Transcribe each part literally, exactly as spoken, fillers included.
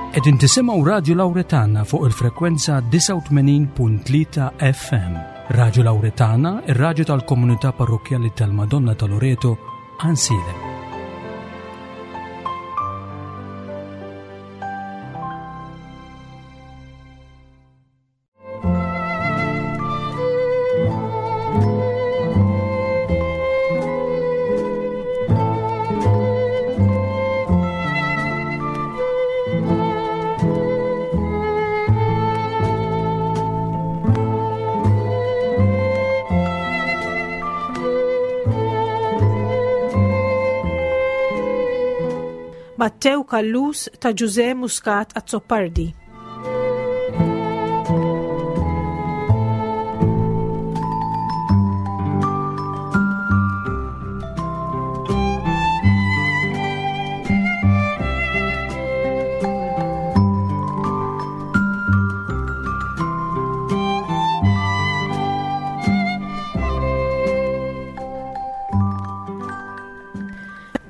Qegħdin tisimgħu Radju Lawretana fuq il-frekwenza disgħa u tmenin punt tlieta F M. Radju Lawretana, ir-radju tal-komunità parrokkjali tal-Madonna ta' Loreto, Għajnsielem. Mattew Callus ta' Ġużè Muscat Azzopardi.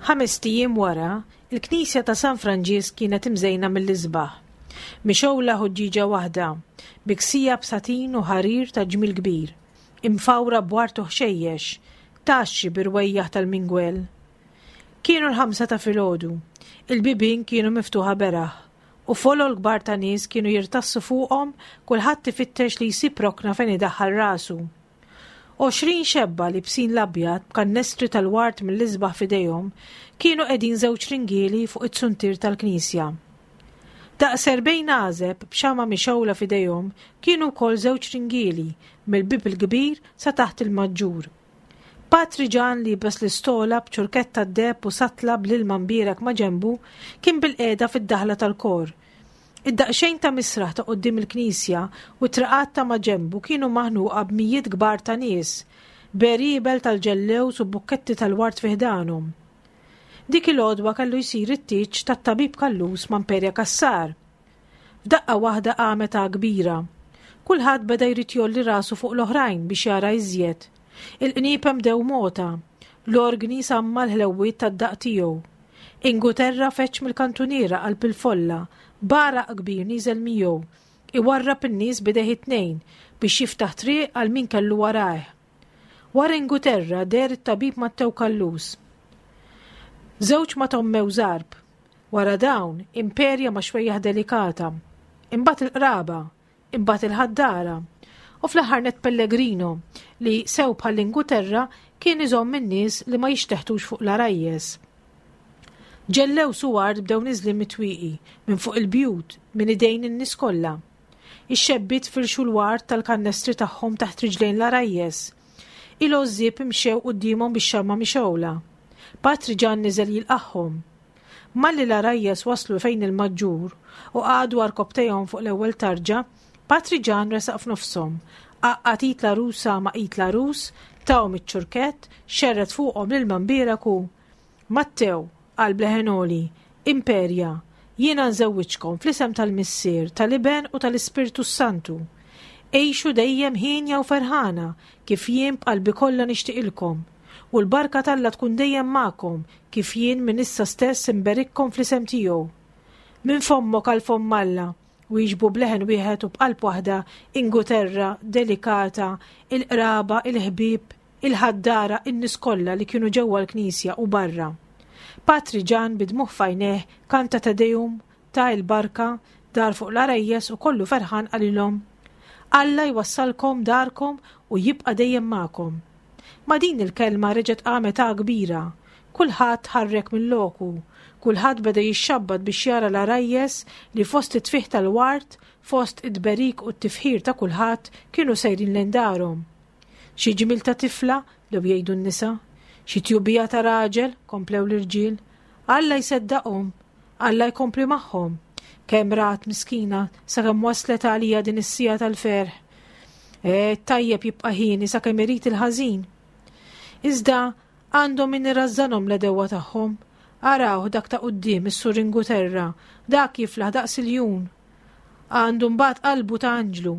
Ħames ijiem wara, il-Knisja ta' San Franġisk kienet imżejna mill-isbaħ. Mixgħula ħuġġieġa waħda, miksija b'satin u ħarir ta' ġmiel kbir, imfawra b'wart u ħxejjex, taxxi birwejjaħ tal-mingwel. Kienu l-ħamsa ta' filgħodu, il-bibien kienu miftuħa beraħ, u folol kbar ta' nies kienu jirtassu fuqhom, kulħadd ifittex li jsib rokna fejn idaħħal rasu. Għoxrin xebba li bsin l-abjad b'kannestri tal-wart mill-isbaħ f'idejhom kienu qegħdin żewġ ringieli fuq it-suntier tal-knisja. Daqs erbgħin għażeb b'xama mixgħula f'idejhom kienu wkoll żewġ ringieli mill-bib il-kbir sa taħt il-maġġur. Patri Ġan li bes l-istola b'ċurketta d-deheb u satla bl-ilma mbierek ma' ġenbu kien bil-qiegħda fid-daħla tal-kor. Id-daqsxejn ta' misraħ ta' quddiem il-knisja u t-triqat ta' ma' ġenbu kienu maħnuqa b'mijiet kbar ta' nies, beribel tal-ġellews u bukketti tal-wart fi ħdanhom. Dik il-għodwa kellu jsir it-tieġ tat-tabib Callus ma' Imperia Cassar. F'daqqa waħda qamet ta' kbira. Kulħadd beda jrid jolli rasu fuq l-oħrajn biex jara iżjed. Il-qniepem dew mota, l-orgni samma l-ħlewwiet tad-daq tiegħu. Inguterra feċ mill-kantuniera qalb il-folla, baraq kbir niżel miegħu, iwarrab in-nies b'idejh it-tnejn biex jiftaħ triq għal min kellu warajh. Wara Inguterra deher it-tabib Mattew Callus. Żewġ ma tommew żarb. Wara dawn, Imperia ma' xwejjaħ delikata. Imbagħad il-qraba, imbagħad il-ħaddara. U fl-aħħar net Pellegrino li sew bħall-Inguterra kien iżomm in-nies li ma jixteħtux fuq l-arajjes. Ġellew suward bdew niżlin mitwieqi minn fuq il-bjut minn idejn in-nies kollha. Ix-xebbiet firxu l-ward tal-kannestri tagħhom taħt riġlejn l-arajjes. Il-għożżieb imxew quddiemhom bix-xamma mixgħula. Patri Ġan niżel jilqagħhom. Malli l-arajjes waslu fejn il-maġġur u qagħdu għarkopptejhom fuq l-ewwel tarġa, Patri Ġan resaq f'nofshom, għaqqad id l-għarusa ma' id l-għarus, tahom iċ-ċurkett, xerred fuqhom l-ilma mbierek u Mattew, qal bleħen għoli, Imperia, jiena nżewwiġkom fl-isem tal-Missier, tal-Iben u tal-Ispirtu Santu. Għixu dejjem ħienja u ferħana, kif jien b'qalbi kollha nixtieqilkom. U l-barka t'Alla tkun dejjem magħkom, kif jien minn issa stess imberikkom fl-isem tiegħu. Minn fommok għal fomm Alla, wieġbu bleħen wieħed u b'qalb waħda Inguterra, Delikata, il-qraba, il-ħbieb, il-ħaddara, in-nies kollha li kienu ġewwa l-knisja u barra. Patri Ġan bidmuħ fajneh kanta Te Deum, ta' il-barka, dar fuq l-arajjes u kollu ferħan qalilhom: Alla jwassalkom darkom u jibqa' dejjem magħkom. Ma' din il-kelma reġgħet qamet ta' kbira. Kulħadd ħarrek minn loku, kulħadd beda jixxabbat biex jara l-arajjes li fost it-tfih tal-wart, fost id-berik u t-tifħir ta' kulħadd kienu sejrin lejn darhom. Xi ġmiel ta' tifla, lew jgħidu n-nisa, xi tjubija ta' raġel, komplew l-irġiel. Alla jseddaqhom, Alla jkompli magħhom. Kemm rat miskina sakemm waslet għalija din is-sija tal-ferħ. E, tajjeb jibqa' ħieni sakemm irid il-ħażin. Iżda għandhom min irrażżanhom l-edewwa tagħhom. Araw dak ta' quddiem is-Sur Inguterra, dak jiflaħ daqs iljun. Għandu mbagħad qalbu ta' anġlu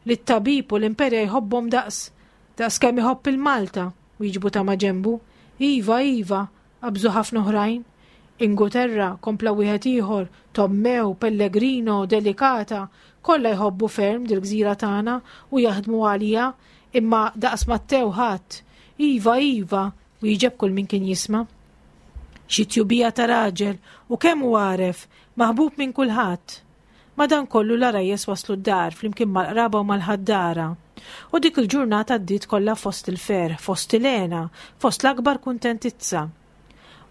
li t-tabib u l-imperja jħobbhom daqs, daqs kemm iħobb il-Malta, wieġbu ta' maġenbu. Iva, iva, qabżu ħafna oħrajn. Inguterra, kompla wieħed ieħor, Tommew, Pellegrino, Delicata, kollha jħobbu ferm dil-gżira tagħna u jaħdmu għalija, imma daqs Mattew ħadd. Iva, iva, wieġeb kull min kien jisma'. Xi tjubija ta' raġel u kemm hu għaref, maħbub minn kulħadd. Madankollu l-għarajjes waslu d-dar flimkien mal-qraba u mal-ħaddara. U dik il-ġurnata għaddiet kollha fost il-ferħ, fost il-hena, fost l-akbar kuntentizza.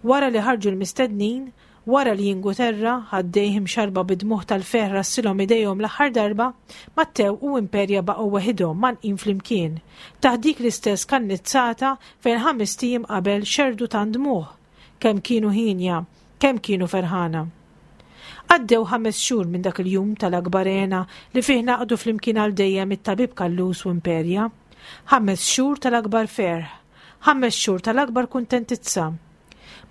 Wara li ħarġu l-mistednin, wara li Inguterra ħaddejh imxarba bid-dmugħ tal-ferħ rassilhom idejhom l-aħħar darba, Mattew u Imperja baqgħu weħidhom mgħannqin flimkien, taħt dik l-istess kannizzata fejn ħamest ijiem qabel xerrdu tant dmugħ. Kemm kienu hienja, kemm kienu ferħana. Għaddew ħames xhur minn dak il-jum tal-akbar hena li fih ngħaqdu flimkien għal dejjem it-tabib Callus u Imperja. Ħames xhur tal-akbar ferħ, ħames xhur tal-akbar kuntentizza.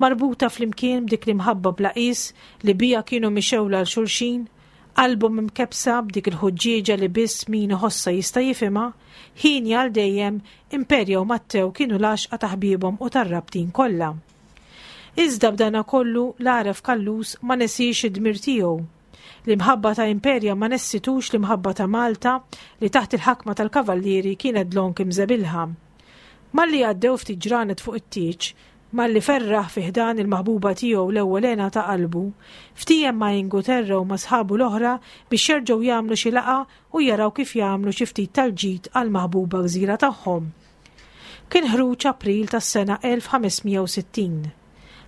Marbuta flimkien b'dik l-imħabba bla qis li bija kienu mixewla għal xulxin, qalbhom imkebbsa b'dik il-ħuġġieġa li biss min iħossha jista' jifhimha, hienja għal dejjem Imperja u Mattew kienu l-għaxqa ta' ħbiebhom u tar-rabtin kollha. Iżda b'dana kollu l-għaref Callus ma nesiex id-dmir tiegħu. L-imħabba ta' Imperja ma nessitux l-imħabba ta' Malta li taħt il-ħakma tal-kavallieri kienet dlonk imżebilħa. Malli għaddew ftit ġranet fuq it-tieġ, malli ferraħ fi ħdan il-maħbuba tiegħu l-ewwel hena ta' qalbu, ftiehem ma' Inguterra u ma' sħabu l-oħra biex jerġgħu jagħmlu xi laqgħa u jaraw kif jagħmlu xi ftit tal-ġid għall-maħbuba gżira tagħhom. Kien ħruġ April tas-sena elf ħames mija u sittin.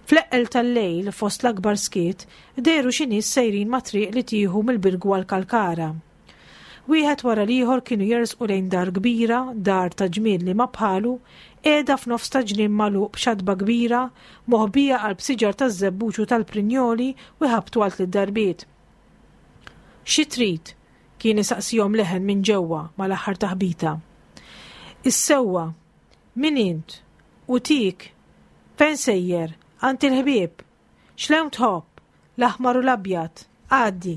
Fl-eqqel tal-lejl, fost l-akbar skiet, dehru xi nies sejrin ma' triq li tieħu mill-Birgu għal Kalkara. Wieħed wara l-ieħor kienu jersqu lejn dar kbira, dar ta' ġmiel li ma bħalu, qiegħda f'nofs ta' ġnien magħluq b'xatba kbira, moħbija qalb siġar taż-żebbuġ u tal-prinjoli u jħabtu għal tliet darbiet. Xi trid? Kien isaqsihom leħen minn ġewwa mal-aħħar taħbita. Is-sewwa, min int? U tik? Fejn sejjer? Għand il-ħbieb? X'lewn tħobb? L-aħmar u l-abjad. Għaddi.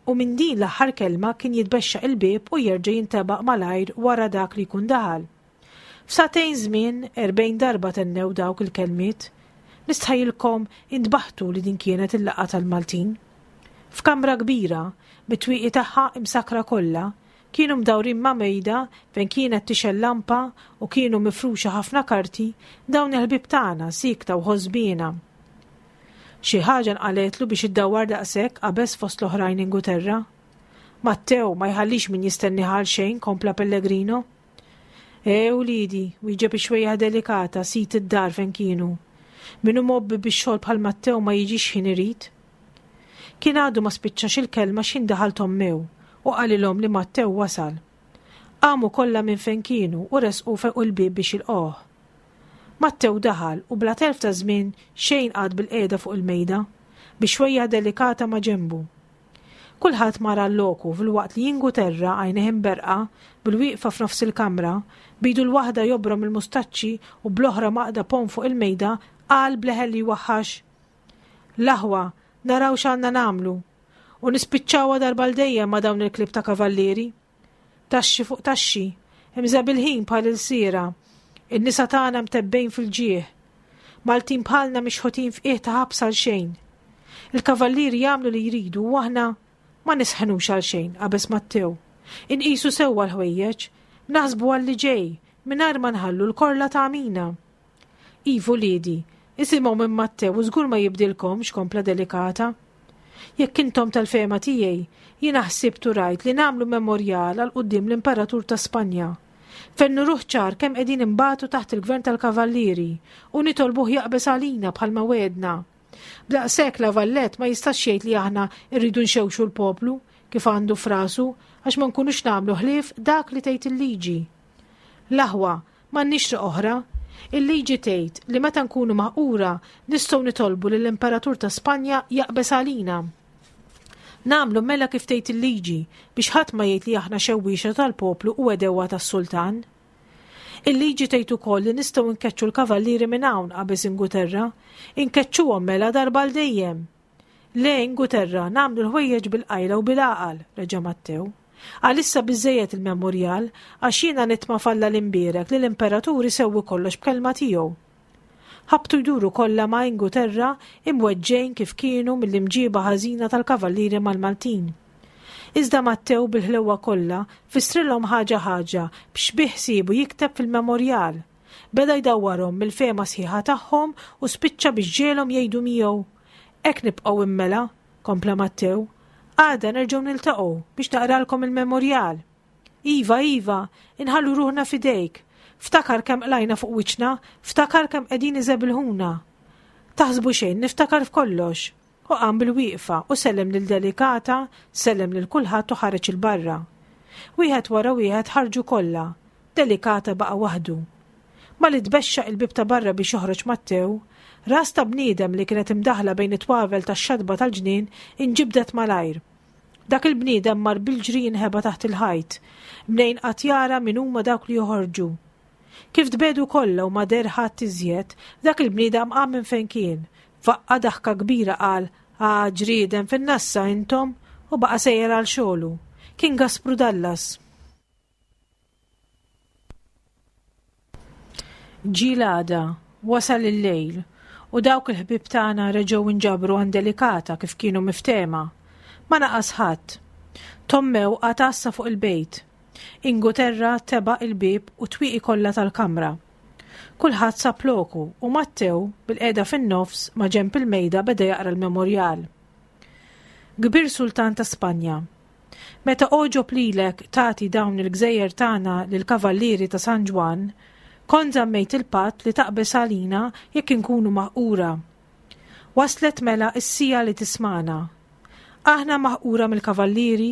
U minn din l-aħħar kelma kien jitbexxaq il-bieb u jerġa' jintebaq malajr wara dak li jkun daħal. F'sagħtejn żmien erbgħin darba tennew dawk il-kelmiet. Nistħajilkom intbaħtu li din kienet il-laqgħa tal-Maltin. F'kamra kbira, bit-twieqi tagħha imsakra kollha, kienu mdawrin ma' mejda fejn kienet tixgħel lampa u kienu mifruxa ħafna karti, dawn il-ħbieb tagħna sikta u ħosbiena. Xi ħaġa nqaletlu biex iddawwar daqshekk qabeż fost l-oħrajn Inguterra. Mattew ma jħallix min jistenni ħal xejn, kompla Pellegrino. E uliedi, wieġeb ix-xwejjaħ Delicata sid id-dar fejn kienu. Min hu mgħobbi bix-xogħol bħal Mattew ma jiġix ħin irid. Kien għadu ma spiċċax il-kelma x'ħin daħal Tommew u qalilhom li Mattew wasal. Qamu kollha minn fejn kienu u resqu fuq il-bieb biex jilqgħuh. Mattew daħal u bla telf ta' żmien xejn qagħad bil-qiegħda fuq il-mejda, bi xwejjaħ Delicata ma' ġenbu. Kulħadd mar għal-loku filwaqt li Inguterra għajnejh imberqa bil-wieqfa f'nofs il-kamra, bidu l-waħda jobrom il-mustaċċi u bl-oħra maqda pon fuq il-mejda, qal bleħel li waħħax. L-aħwa, naraw x'għandna nagħmlu u nispiċċawha darba l dejjem ma' dawn il-klieb ta' kavallieri. Taxxi fuq taxxi, imżebilħin bħal il-sira, in-nisa tagħna mtebbejn fil-ġieħ. Maltin bħalna mixħutin f'qiegħ ta' ħabs għal xejn. Il-kavallieri jagħmlu li jridu u aħna ma nisħnux għal xejn, qabeż Mattew. Inqisu sewwa l-ħwejjeġ, naħsbu għal li ġej, mingħajr ma nħallu l-korla ta' għamina. Ivu liedi, isimgħu minn Mattew u żgur ma jibdilkomx, kompla Delicata. Jekk intom tal-fehma tiegħi, jiena ħsibt u rajt li nagħmlu memorjal għal quddiem l-Imperatur ta' Spanja. Fejn nuruh ċar kemm qegħdin imbatu taħt il-gvern tal-kavallieri u nitolbuh jaqbeż għalina bħalma wedna. B'daqshekk La Valette ma jistax jgħid li aħna rridu nxewxu l-poplu kif għandu frasu għax ma nkunux nagħmlu ħlief dak li tgħid il-liġi. L-aħwa, m'għandniex triq oħra. Il-liġi tgħid li meta nkunu maħqura nistgħu nitolbu lill-Imperatur ta' Spanja jaqbeż għalina. Nagħmlu mela kif tgħid il-liġi biex ħadd ma jgħid li aħna xewwiexa tal-poplu u għedewwa tas-sultan. Il-liġi tgħid ukoll li nistgħu nkeċċu l-kavallieri minn hawn, qabeż Inguterra, inkeċċuhom mela darba l dejjem. Le Inguterra, nagħmlu l-ħwejjeġ bil-qajla u bil-għaqal, reġa' Mattew. Għalissa biżejjed il-memorjal għax jiena nitma' f'Alla l-imbierek li l-imperatur isewwi kollox b'kelma tiegħu. Ħabtu jduru kollha ma' Inguterra imweġġejn kif kienu mill-imġiba ħażina tal-kavallieri mal-Maltin. Iżda Mattew bil-ħlewwa kollha fissrilhom ħaġa ħaġa biex biħsiebu jikteb fil-memorjal. Beda jdawwarhom mill-fehma sħiħa tagħhom u spiċċa biex ġiegħelhom jgħidu miegħu. Hekk nibqgħu immela, kompla Mattew. Għada nerġgħu niltaqgħu biex naqralkom il-memorjal. Iva, iva, inħallu ruħna fidejk. Ftakar kemm qlajna fuq wiċċna, ftakar kemm qegħdin iżebilħuna. Taħsbu xejn, niftakar f'kollox. U qam bil-wieqfa u sellem lil Delikata, sellem lil kulħadd u ħareġ 'il barra. Wieħed wara wieħed ħarġu kollha. Delikata baqa' waħdu. Malli tbexxaq il-bieb ta' barra biex joħroġ Mattew, ras ta' bniedem li kienet imdaħla bejn it-twavel tax-xatba tal-ġnien inġibdet malajr. Dak il-bniedem mar bil-ġri jinħeba taħt il-ħajt, mnejn qatt jara min huma dawk li joħorġu. Kif tbedu kollha u ma deher ħadd iżjed, dak il-bniedem qam minn fejn kien, faqqa' daħka kbira qal, Ah, ġrieden fin-nassa intom, u baqa' sejjer għal xogħlu. Kien Gaspru Dallas. Ġie l-għada, wasal il-lejl, u dawk il-ħbieb tagħna reġgħu nġabru għand Delikata kif kienu miftehma. Ma naqas ħadd. Tommew qagħad għassa fuq il-bejt. Inguterra tebaq il-bieb u t-twieqi kollha tal-kamra. Kulħadd sab loku u Mattew, bil-qiegħda fin-nofs ma' ġenb il-mejda beda jaqra l-memorjal. Kbir Sultan ta' Spanja, meta għoġob lilek tagħti dawn il-gżejjer tagħna lill-Kavallieri ta' San Ġwann, kont żammejt il-patt li taqbeż għalina jekk inkunu maħqura. Waslet mela s-siegħa li tismagħna. Aħna maħqura mill-Kavallieri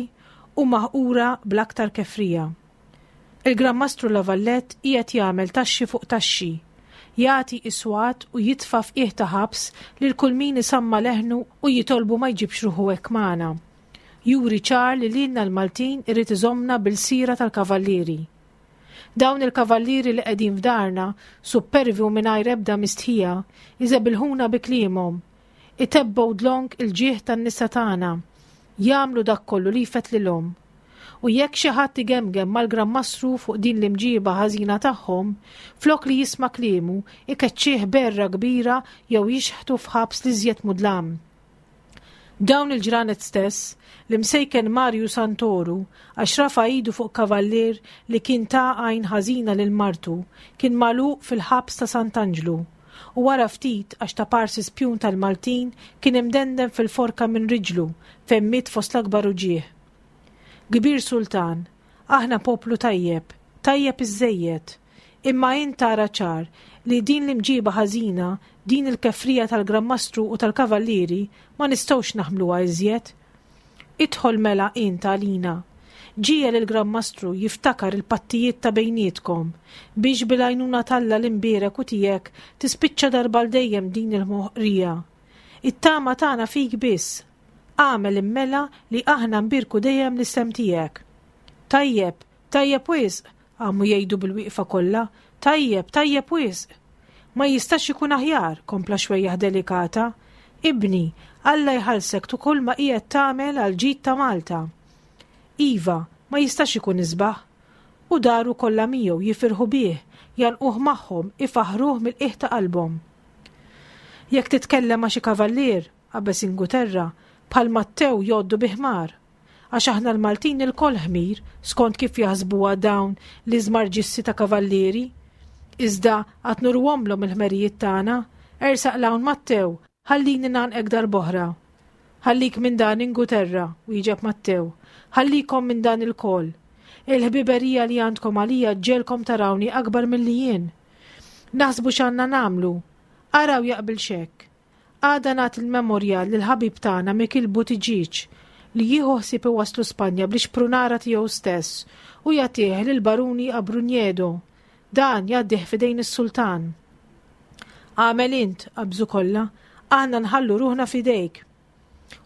u maħqura bl-aktar kefrija. Il-Gran Mastru La Valette qiegħed jagħmel taxxi fuq taxxi, jagħti iswat u jitfa' f'qiegħ ta' ħabs lil kull min isamma' leħnu u jitolbu ma jġibx ruħu hekk magħna. Juri ċar li lilna l-Maltin irid iżommna bil-sira tal-kavallieri. Dawn il-kavallieri li qegħdin f'darna, suppervi u mingħajr ebda mistħija, iżebilħuna bi kliemhom, itebbgħu dlonk il-ġieħ tan-nisa tagħna, jagħmlu dak kollu li jfettlilhom. U jekk xi ħadd igemgem mal-Gran Mastru fuq din l-imġiba ħażina tagħhom, flok li jisma' kliemu, ikeċċih berra kbira jew jixħtu f'ħabs l-iżjed mudlam. Dawn il-ġranet stess, l-imsejken Marju Santoru, għax rafa' idu fuq kavallier li kien ta għajn ħażina lil martu, kien magħluq fil-ħabs ta' Sant'Anġlu, u wara ftit għax ta' parsi spjun tal-Maltin kien imdendem fil-forka minn riġlu fejn miet fost l-akbar uġigħ. Kbir Sultan, aħna poplu tajjeb, tajjeb iżżejjed, imma int tara ċar li din l-imġiba ħażina, din il-kefrija tal-Gran Mastru u tal-Kavallieri ma nistgħux naħmluha iżjed. Idħol mela int għalina. Ġiegħel il-Gran Mastru jiftakar il-pattijiet ta' bejnietkom, biex bil-għajnuna t'Alla l-imbierek u tiegħek tispiċċa darba għal dejjem din il-moħqrija. It-tama tagħna fik biss. Agħmel immela li aħna nbierku dejjem l-isem tiegħek. Tajjeb, tajjeb wisq, qamu jgħidu bil-wieqfa kollha, tajjeb, tajjeb wisq. Ma jistax ikun aħjar, kompla xwejjaħ Delikata. Ibni, Alla jħallsek tu kull ma qiegħed tagħmel għal ġid ta' Malta. Iva, ma jistax ikun isbaħ. U daru kollha miegħu jifirħu bih, janquh magħhom, ifaħħruh mill-qiegħ ta' qalbhom. Jekk titkellem ma' xi kavallier, qabeż Inguterra, bħal Mattew jgħoddu bi ħmar. Għax aħna l-Maltin ilkoll ħmir, skont kif jaħsbuha dawn l-iżmarġissi ta' kavallieri. Iżda għad nurwhomlhom il-ħmerijiet tagħna, ersaq 'l hawn Mattew, ħallini ngħannqek darb'oħra. Ħallik minn dan Inguterra, wieġeb Mattew, ħallikom minn dan ilkoll. Il-ħbiberija li għandkom għalija ġġegħelkom tarawni akbar milli jien. Naħsbu x'għandna nagħmlu. Araw jaqbilx hekk. Għada nagħti l-memorjal lill-ħabib tagħna Mikiel Buttigieg li jieħu ħsieb iwasslu Spanja bl-ixprunara tiegħu stess u jagħtih lill-Baruni Abrunjedo. Dan jgħaddih f'idejn is-sultan. Agħmel int, qabżu kollha, aħna nħallu ruħna f'idejk.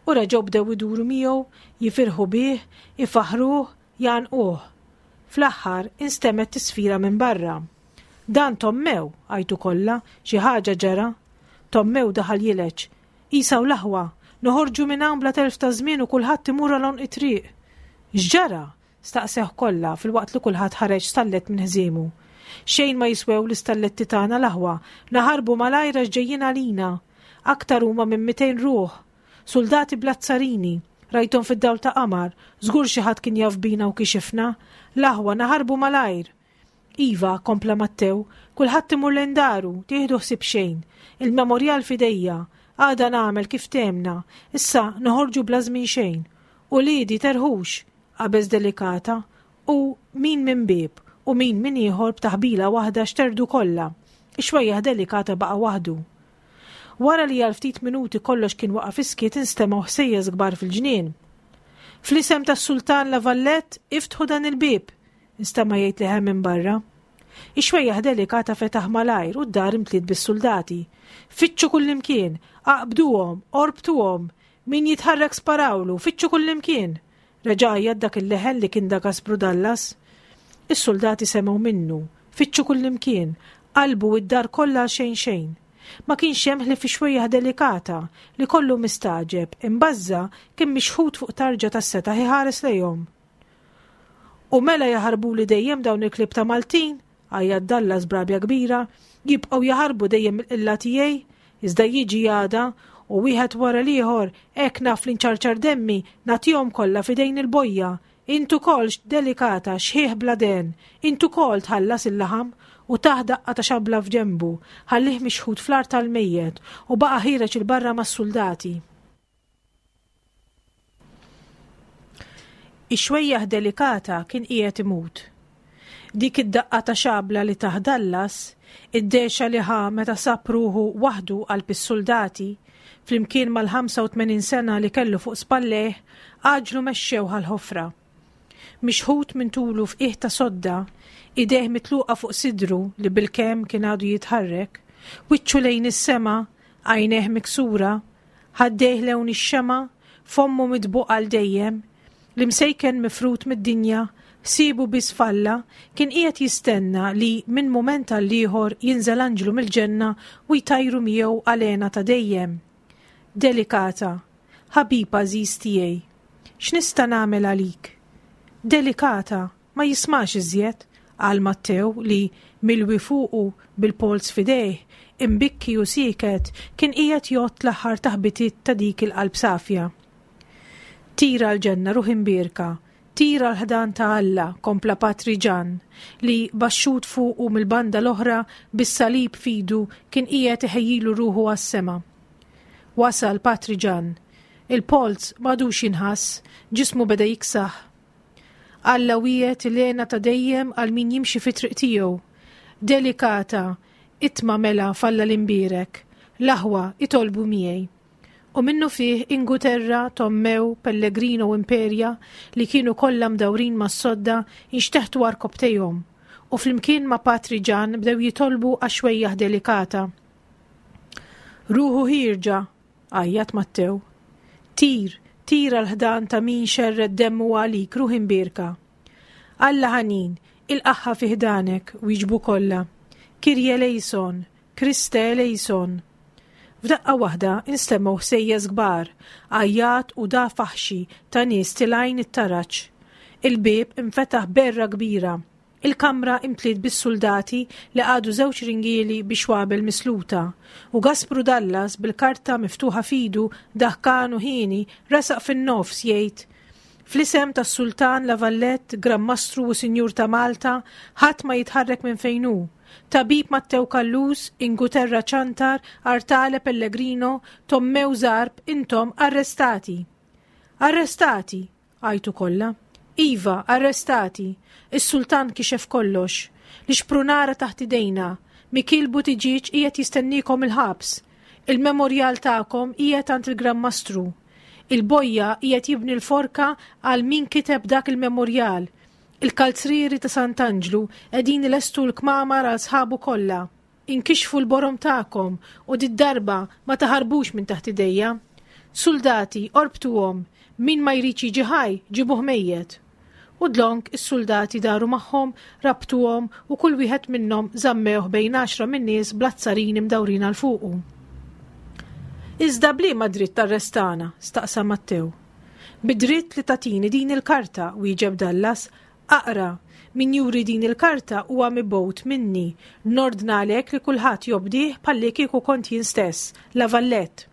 U reġgħu bdew iduru miegħu, jifirħu bih, ifaħħruh, jgħannquh. Fl-aħħar instemgħet tisfira minn barra. Dan Tommew, għajtu kollha, xi ħaġa ġara. Tommew daħal jileġ. Isa u l-aħwa, noħorġu minn hawn bla telf ta' żmien u kulħadd imur għal għonq it-triq. X'ġara? Staqsewh kollha filwaqt li kulħadd ħareġ stallet minn ħżiemu. Xejn ma jiswew l-istalletti tagħna l-aħwa, naħarbu malajr għax ġejjin għalina. Aktar huma minn mitejn ruħ. Suldati bl-azzarini, rajthom fid-dawl ta' qamar, żgur xi ħadd kien jaf bina u kixifna. L-aħwa naħarbu malajr. Iva, kompla Mattew, kulħadd imur lejn daru, tieħdu ħsieb xejn. Il-memorjal f'idejja, għada nagħmel kif temna, issa noħorġu bla żmien xejn. Uliedi terħux, qabeż Delikata, u min minn bieb u min minn ieħor b'taħbila waħda xterdu kollha. Ix-xwejjaħ Delikata baqa' waħdu. Wara li għal ftit minuti kollox kien waqa' fis-skiet instemgħu ħsejjes kbar fil-ġnien. Fl-isem tas-Sultan La Vallette iftħu dan il-bieb, instema' jgħid leħen minn barra. Ix-xwejjaħ Delikata fetaħ malajr u d-dar imtliet bis-suldati. Fittxu kullimkien, aqbduhom, orbtuhom, min jitħarrek sparawlu, fittxu kullimkien. Reġa' għajjat dak il-leħen li kien da Gaspru Dallas. Is-suldati semgħu minnu, fittxu kullimkien, qalbu id-dar kollha għal xejn xejn. Ma kienx hemm ħlief ix-xwejjaħ Delikata li kollu mistagħġeb, imbażża' kien mixħut fuq tarġa tas-setaħ iħares lejhom. U mela jaħarbuli dejjem dawn il-klieb ta' Maltin, għajjat Dallas b'rabja kbira, jibqgħu jaħarbu dejjem mill-qilla tiegħi, iżda jiġi għada u wieħed wara l-ieħor hekk naf li nċarċar demmi nagħtihom kollha f'idejn il-bojja. Int ukoll Delikata xħieħ bla den, int ukoll tħallas il-laħam u tah daqqa ta' xabla f'ġenbu, ħallih mixħut fl-art tal-mejjet u baqa' ħiereġ il-barra mas-suldati. Ix-xwejjaħ Delikata kien qiegħed imut. Dik id-daqqa ta' xabla li tah Dallas, id-dexa li ħa meta sab ruħu waħdu qalb is-suldati, flimkien mal-ħamsa u tmenin sena li kellu fuq spallejh, għaġlu mexxew għall-ħofra. Mixħut minn tulu f'qiegħ ta' sodda, idejh mitluqa fuq sidru li bil-kemm kien għadu jitħarrek, wiċċu lejn is-sema, għajnejh miksura, ħaddejh lewn ix-xema, fommu mitbuq għal dejjem, l-imsejken mifrut mid-dinja, ħsiebu biss falla, kien qiegħed jistenna li minn mument għal ieħor jinżel anġlu mill-ġenna u jtajru miegħu għalena ta' dejjem. Delikata, ħabib għażiż tiegħi, x'nista' nagħmel għalik? Delikata, ma jismax iżjed, qal Mattew li milwi fuqu bil-polz f'idejh, imbikki u sieket, kien qiegħed jgħodd l-aħħar taħbitiet ta' dik il-qalb safja. Tira l-ġenna ruħ imbierka, tira l-ħdan ta' Alla, kompla Patri Ġan, li baxxut fuqu mill-banda l-oħra bis-salib fidu kien qiegħed iħejjilu ruħu għas-sema. Wasal Patri Ġan, il-polz m'għadux jinħass, ġismu beda jiksaħ. Alla wiegħed il-hena ta' dejjem għal min jimxi fi triq tiegħu. Delikata, itma' mela falla l-imbierek, l-aħwa itolbu miegħi. U minnu fih Inguterra, Tommew, Pellegrino u Imperia li kienu kollha mdawrin mas-sodda inxteħtu għarkopptejhom u flimkien ma' Patri Ġan bdew jitolbu għax-xwejjaħ Delikata. Ruħu ħierġa, għajjat Mattew. Tir, tir għal-ħdan ta' min xerred demmu għalik, ruħ imbierka. Alla ħanin, il-qaħħa fi ħdanek, wieġbu kollha. Kirje eleison, Kriste eleison. F'daqqa waħda instemgħu ħsejjes kbar, għajjat u da faħxi ta' nies tilgħin it-taraġ. Il-bieb infetaħ berra kbira. Il-kamra imtliet bis-suldati li qagħdu żewġ ringieli biex xwabel misluta, u Gaspru Dallas bil-karta miftuħa fidu daħkan u ħieni resaq fin-nofs jgħid: Fl-isem tas-Sultan La Vallette, Gran Mastru u Sinjur ta' Malta, ħadd ma jitħarrek minn fejn hu. Tabib Mattew Callus, Inguterra Ciantar, Artale Pellegrino, Tommew Zarb, intom arrestati. Arrestati, għajtu kollha. Iva, arrestati. Is-sultan kixef kollox. Li xprunara taħt idejna. Mikil Buttigieg qiegħed jistennikom il-ħabs. Il-memorjal tagħkom qiegħed għand il-Gran Mastru. Il-bojja qiegħed jibni l-forka għal min kiteb dak il-memorjal. Il-kalzrieri ta' Sant'Anġlu qegħdin ilestu l-kmamar għal sħabu kollha. Inkixfu l-borom tagħkom u did-darba ma taħarbux minn taħt idejja. Soldati, orbtuhom, min ma jridx jiġi ħaj, ġibuh mejjet. U dlonk is-soldati daru magħhom, rabtuhom u kull wieħed minnhom żammewh bejn għaxra min-nies bl-azzarini mdawrin għal fuqu. Iżda bliema dritt arrestana? Staqsa Mattew. Bidritt li tatini din il-karta, wieġeb Dallas, Aqra, min juri din il-karta huwa mibgħut minni, nordnalek li kulħadd jobdih bħalli kieku kont jien stess, La Vallette.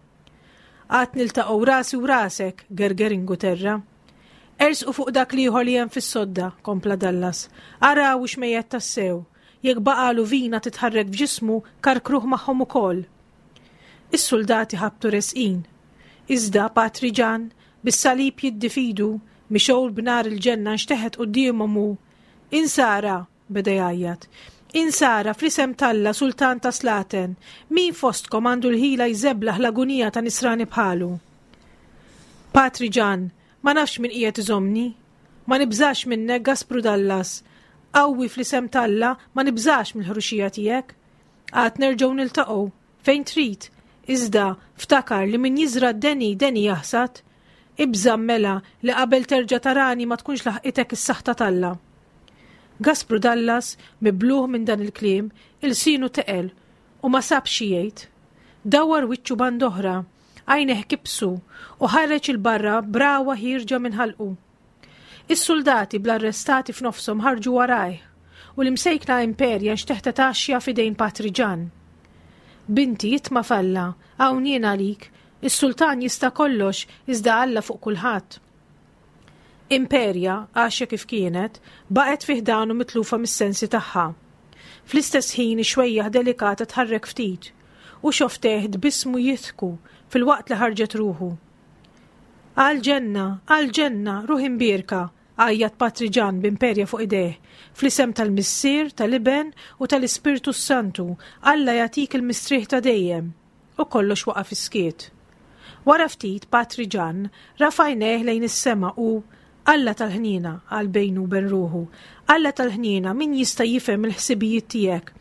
Għad niltaqgħu rasi u rasek, gerger Inguterra. Ersqu fuq dak l-ieħor li hemm fis-sodda, kompla Dallas. Araw hux mejjet tassew. Jekk baqalu vina titħarrek f'ġismu, karkruh magħhom ukoll. Is-soldati ħabtu resqin. Iżda Patri Ġan, bis-salib jiddi f'idu, mixgħul b'nar il-ġenna nxteħet quddiemhom u Insara, beda jgħajjat. Insara, fl-isem t'Alla, sultan ta' slaten, min fostkom għandu l-ħila jżeblaħ l-agunija ta' nisrani bħalu? Patri Ġan, ma nafx min qiegħed iżommni. Ma nibżax minnek, Gaspru Dallas. Qawwi fl-isem t'Alla, ma nibżax mill-ħruxija tiegħek. Għad nerġgħu niltaqgħu, fejn trid, iżda ftakar li min jiżra' d-deni, deni jaħsad. Ibża' mela li qabel terġa' tarani ma tkunx laħqitek is-saħta t'Alla. Gaspru Dallas, mibluh minn dan il-kliem, ilsienu teqel u ma sab xi jgħid. Dawar wiċċu band'oħra, għajnejh kibsu u ħareġ 'il barra b'ragħwa ħierġa minn ħalqu. Is-soldati bl-arrestati f'nofshom ħarġu warajh u l-imsejkna Imperja nxteħtet għaxja f'idejn Patri Ġan. Binti, itma' f'Alla, hawn jien għalik, is-sultan jista' kollox iżda Alla fuq kulħadd. Imperja, għaxja kif kienet, baqgħet fi ħdanu mitlufa mis-sensi tagħha. Fl-istess ħin ix-xwejjaħ delikata tħarrek ftit u xofftejh tbissmu jidħku filwaqt li ħarġet ruħu. Għal-ġenna, għal-ġenna, ruħ imbierka, għajjat Patri Ġan b'Imperja fuq idejh, fl-isem tal-Missier, tal-Iben u tal-Ispirtu s-Santu, Alla jagħtik il-mistrieħ ta' dejjem. U kollox waqa' fis-skiet. Wara ftit Patri Ġan rafa' għajnejh lejn is-sema u Alla tal-ħniena, qal bejnu u bejn ruħu, Alla tal-ħniena, min jista' jifhem il-ħsibijiet tiegħek?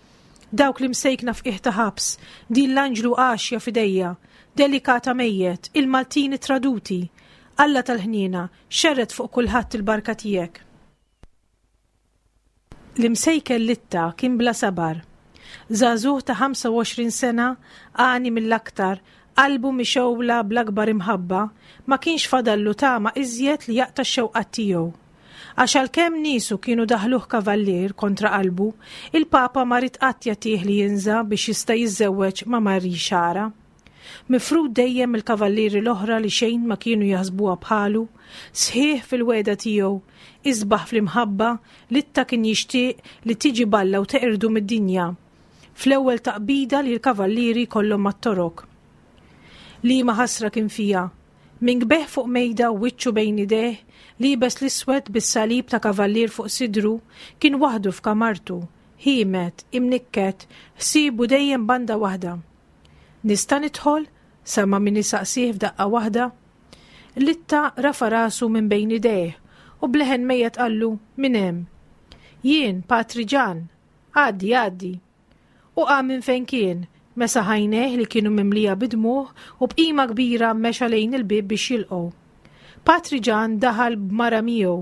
Dawk li msejkna f'qiegħ ta' ħabs, din l-anġlu għaxja f'idejja, delikata mejjet, il-Maltin traduti. Alla tal-ħniena, xerred fuq kulħadd il-barka tiegħek. L-imsejken Litta kien bla sabar. Żagħżugħ ta' ħamsa u għoxrin sena, għani mill-aktar, qalbu mixgħula bl-akbar imħabba, ma kienx fadallu tama iżjed li jaqta' x-xewqat tiegħu. Għax għalkemm niesu kienu daħluh kavallier kontra qalbu, il-Papa ma ried qatt jagħtih li jinża biex jista' jiżżewweġ ma' Marie Xara. Mifrud dejjem il-kavallieri l-oħra li xejn ma kienu jaħsbuha bħalu, sħiħ fil-wegħda tiegħu, isbaħ fl-imħabba, Litta kien jixtieq li tiġi balla u teqirdu mid-dinja. Fl-ewwel taqbida li l-kavallieri kollhom mat-torok. Liema ħasra kien fija, minn kbeħ fuq mejda u wiċċu bejn idejh, liebes l-iswed bis-salib ta' kavallier fuq sidru, kien waħdu f'kamartu, ħiemed, imnikket, ħsiebu dejjem banda waħda. Nista' nidħol? Sama min isaqsih f'daqqa waħda. Litta rafa' rasu minn bejn idejh u bleħen mejjet qallu minn hemm. Jien, Patri Ġan, għaddi, għaddi. U qam minn fejn kien, mesaħ għajnejh li kienu mimlija bidmuħ u b'qima kbira mexa lejn il-bieb biex jilqgħu. Patri Ġan daħal b'mara miegħu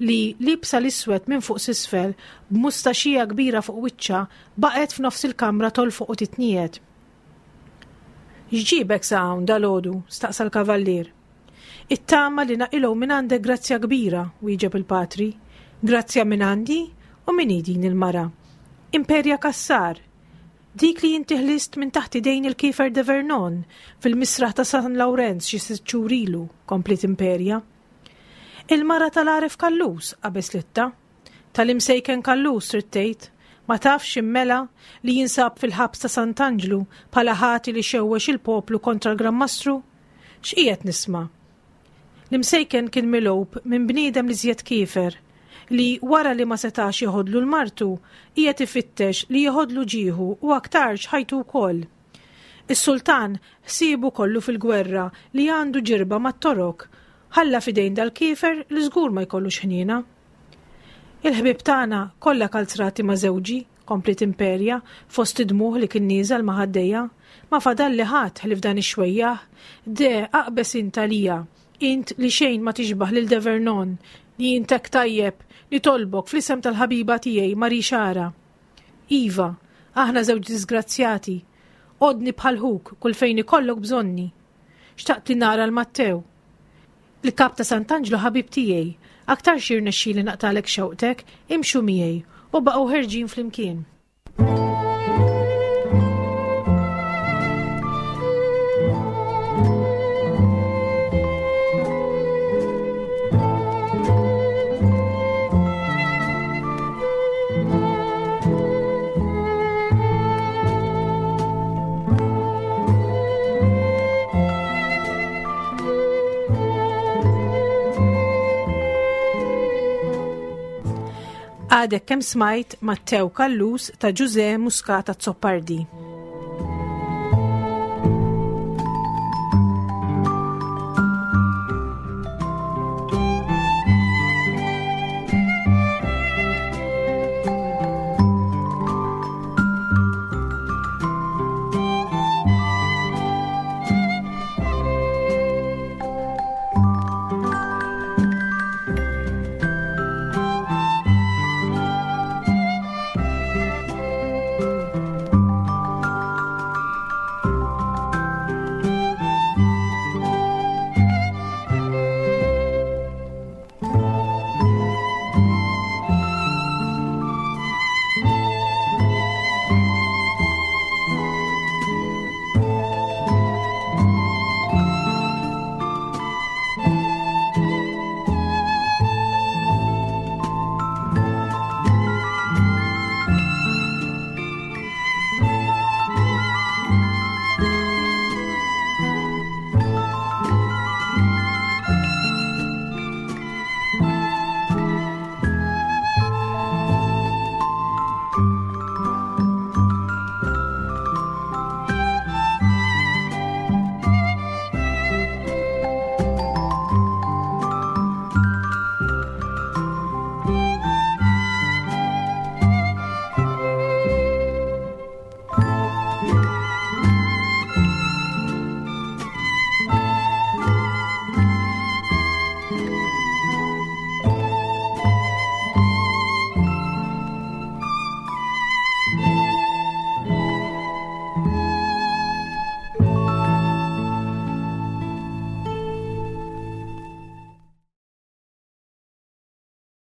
li libsa l-iswed minn fuq s'isfel b'mustaxija kbira fuq wiċċha baqgħet f'nofs il-kamra tolfoq u titniet. X'ġibek sa hawn dalgħodu? Staqsa l-kavallier. It-tama li naqilgħu minn għandek grazzja kbira, wieġeb il-patri. Grazzja minn għandi? U min hi din il-mara? Imperja Cassar. Dik li inti ħlist minn taħt idejn il-Kiefer de Vernon fil-misraħ ta' San Lawrenz xi sitt xhur ilu, kompliet Imperja. Il-mara tal-għaref Kallus, qabeż Litta. Tal-imsejken Kallus, trid tgħid. Ma tafx immela li jinsab fil-ħabs ta' Sant'Anġlu bħala ħati li xewwex il-poplu kontra l-Gran Mastru? X'qiegħed nisma'? L-imsejken kien milgħub minn bniedem li żjed kiefer, li wara li ma setax jeħodlu l-martu, qiegħed ifittex li jeħodlu ġieħu u aktarx ħajtu wkoll. Is-sultan ħsiebu kollu fil-gwerra li għandu ġirba mat-torok, ħalla f'idejn dal-kiefer li żgur ma jkollux ħniena. Il-ħbieb tagħna kollha kalzrati ma' żewġi, kompliet Imperja, fost id-dmuħ li kien nieżel ma' ħaddejja. Ma fadalli ħadd ħlief dan ix-xwejjaħ. De, aqbes int għalija, int li xejn ma tixbaħ lil De Vernon, li intek tajjeb, nitolbok fl-isem tal-ħabiba tiegħi Marie Xara. Iva, aħna żewġ disgrazzjati, għodni bħal ħuk kull fejn ikollok bżonni. Xtaqt li nara l-Mattew. Il-kap ta' Sant'Anġlu ħabib tiegħi, Aktarx jirnexxieli naqtagħlek xewqtek, imxu miegħi, u baqgħu ħerġin flimkien. Għadek kemm smajt Mattew Callus ta' Ġużè Muscat Azzopardi.